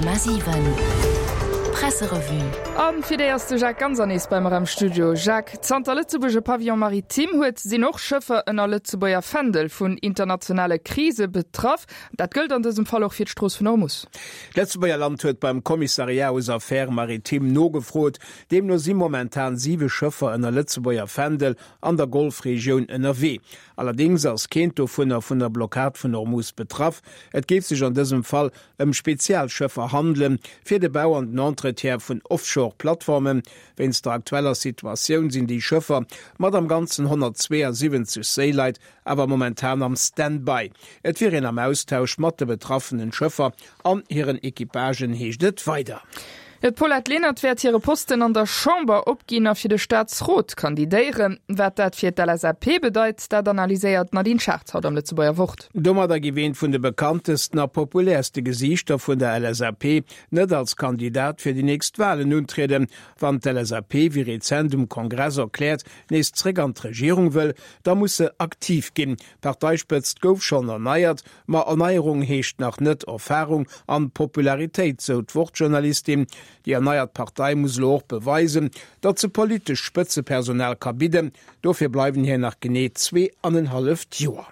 100,7 Presserevue. A fir déi ass de Jacques Ganser nees bei mer am Studio. Jacques, zanter Lëtzebuerg e Pavillon maritime huet, sinn och Schëffer ënner Lëtzebuerger Fändel vun internationale Krise betraff. Dat gëllt an dësem Fall och fir d'Strooss vun Hormus. D'Lëtzebuerger Land huet beim Commissariat aux Affaires maritimes nogefrot. Deemno si momentan siwe Schëffer ënner Lëtzebuerger Fändel an der Golfregioun ënnerwee. Allerdéngs ass keent dovunner vun der Blockad vun Hormuz betraff. Et géif sech an dësem Fall ëm Spezialschëffer handelen, fir de Bau an den Entretien vun Offshore-Plattformen. Wéinst der aktueller Situatioun sinn déi Schëffer mat am Ganzen 172 Séileit awer momentan am Stand-by. Et wier een am Austausch mat de betraffenen Schëffer an hiren Equipagen, heescht et weider. D'Paulette Lenert wäert hire Posten an der Chamber opginn a fir de Staatsrot kandidéieren. Wat dat fir d'LSAP bedeit, dat analyséiert d'Nadine Schartz haut am Lëtzebuerger Wort. Domadder giff eent vun de bekanntesten a populäerste Gesiichter vun der LSAP net als Kandidat fir déi nächst Walen untrieden. Wann d'LSAP, wéi rezent um Kongress erkläert, nees zréck an d'Regierung wëll, da muss se aktiv ginn. D'Parteispëtzt gouf schonn erneiert, Ma Erneierung heescht nach net Erfarung an Popularitéit, sou d'Wort-Journalistin. Déi erneiert Partei muss elo och beweisen, datt se politescht Spëtzepersonal ka bidden. Dofir bleiwen hir nach genee zweeanenhalleft Joer.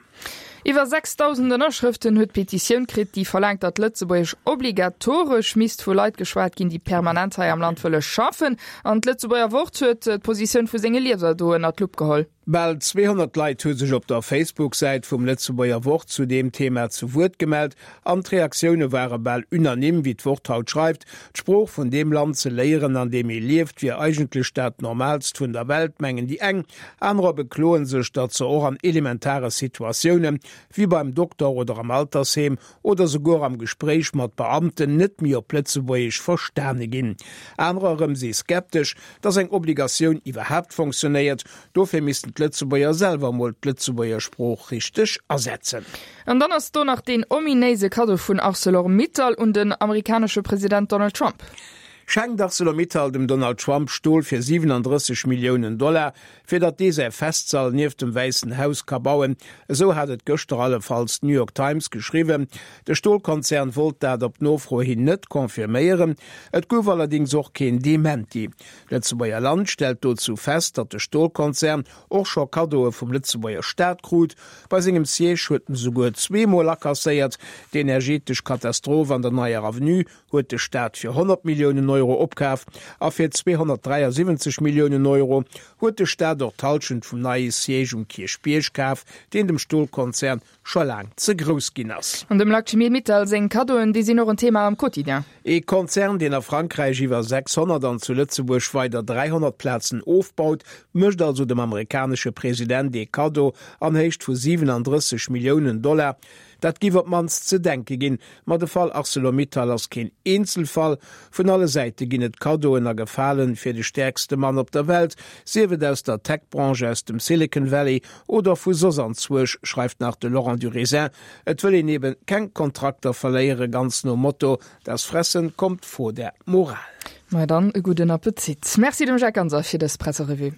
Iwwer 6.000 Ënnerschrëften huet d'Petitioun kritt, déi verlaangt, datt Lëtzebuergesch obligatoresch misst vu Leit geschwat ginn, déi permanent hei am Land wëlle schaffen. An d'Lëtzebuerger Wort huet d'Positioun vu senge Lieser do ënner d'Lupp geholl. Bal 200 Leit hu sech op der Facebook-Säit vum Lëtzebuerger Wort zu deem Thema zu Wuert gemellt an d'Reaktioune ware bal unanime, wéi d'Wort haut schreift. D'Sprooch vun deem Land ze léieren, an deem ee lieft, wier eigentlech dat Normaalst vun der Welt, mengen déi eng. Anerer bekloe sech, datt se och an elementare Situatioune wéi beim Dokter oder am Altersheem oder souguer am Gespréich mat Beamten net méi op Lëtzebuergesch verstane ginn. Anerer erëm si skeptesch, datt eng Obligatioun iwwerhaapt fonctionnéiert. Dofir missten d'Lëtzebuerger selwer emol d'Lëtzebuerger Sprooch richteg asetzen. An dann ass do nach deen ominéise Kaddo vun Arcelor Mittal un den amerikanesche President Donald Trump. Schenkt Arcelor Mittal dem Donald Trump Stol fir 37 Milliounen Dollar, fir datt dee säi Festsall nieft dem Wäissen Haus ka bauen, esou hat et gëschter allefalls d'New York Times geschriwwen. De Stolkonzern wollt dat op Nofro hin net confirméieren, et gouf allerdéngs och keen Dementi. D'Lëtzebuerger Land stellt dozou fest, datt de Stolkonzern och scho Kaddoe vum Lëtzebuerger Staat krut. Bei sengem Siège huet en esouguer zweemol akasséiert. D'energetesch Katastroph an der Neier Avenue huet de Staat fir 100 Milliounen Euro opkaf a fir 273 Milliounen Euro huet de Staat och d'Hallschent vum neie Siège um Kierchbierg kaf, deen dem Stolkonzern scho laang ze grouss ginn ass. An dem Lakshmi Mittal seng Kaddoen, déi sinn och en Thema am Quotidien. Ee Konzern, deen a Frankräich iwwer 600 an zu Lëtzebuerg weider 300 Plazen ofbaut, mécht also dem amerikanesche President ee Kaddo an Héicht vu 37 Milliounen Dollar. Dat giff op d'mannst ze denke ginn. Ma de Fall Arcelor-Mittal ass keen Eenzelfall. Vun alle Säite ginn et Kaddoen a Gefalen fir de stäerkste Mann op der Welt, sief et aus der Tech-Branche, aus dem Silicon Valley oder vu soss anzwuersch, schreift nach de Laurent Durézin. Et wëll een eben keng Kontrakter verléieren, ganz nom Motto, Das Fressen kommt vor der Moral. Ma dann e gudden Appetit. Merci dem Jacques Ganser fir dës Presserevue.